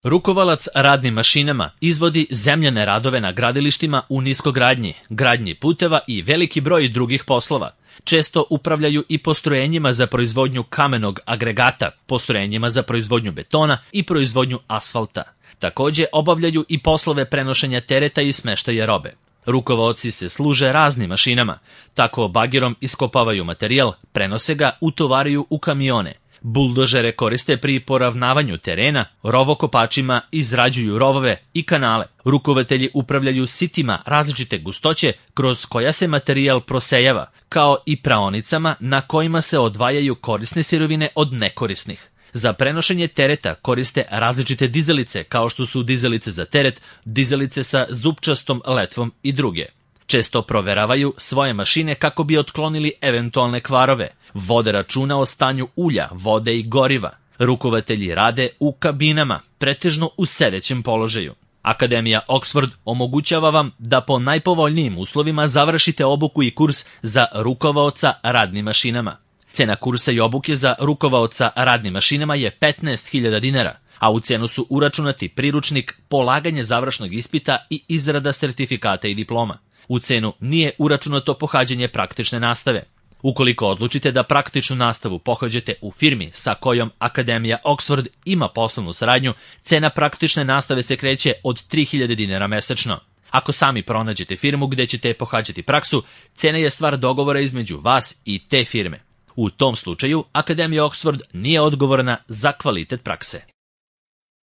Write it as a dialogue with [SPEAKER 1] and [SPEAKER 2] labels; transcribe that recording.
[SPEAKER 1] Rukovalac radnim mašinama izvodi zemljane radove na gradilištima u niskogradnji, gradnji puteva i veliki broj drugih poslova. Često upravljaju i postrojenjima za proizvodnju kamenog agregata, postrojenjima za proizvodnju betona i proizvodnju asfalta. Takođe obavljaju i poslove prenošenja tereta i smeštaja robe. Rukovaoci se služe raznim mašinama, tako bagerom iskopavaju materijal, prenose ga, utovaraju u kamione. Buldožere koriste pri poravnavanju terena, rovokopačima izrađuju rovove i kanale. Rukovatelji upravljaju sitima različite gustoće kroz koja se materijal prosejava, kao i praonicama na kojima se odvajaju korisne sirovine od nekorisnih. Za prenošenje tereta koriste različite dizalice, kao što su dizalice za teret, dizalice sa zupčastom letvom i druge. Često proveravaju svoje mašine kako bi otklonili eventualne kvarove, vode računa o stanju ulja, vode i goriva. Rukovatelji rade u kabinama, pretežno u sedećem položaju. Akademija Oxford omogućava vam da po najpovoljnijim uslovima završite obuku i kurs za rukovaoca radnim mašinama. Cena kursa i obuke za rukovaoca radnim mašinama je 15.000 dinara, a u cenu su uračunati priručnik, polaganje završnog ispita i izrada sertifikata i diploma. U cenu nije uračunato pohađanje praktične nastave. Ukoliko odlučite da praktičnu nastavu pohađate u firmi sa kojom Akademija Oxford ima poslovnu saradnju, cena praktične nastave se kreće od 3.000 dinara mesečno. Ako sami pronađete firmu gde ćete pohađati praksu, cena je stvar dogovora između vas i te firme. U tom slučaju, Akademija Oxford nije odgovorna za kvalitet prakse.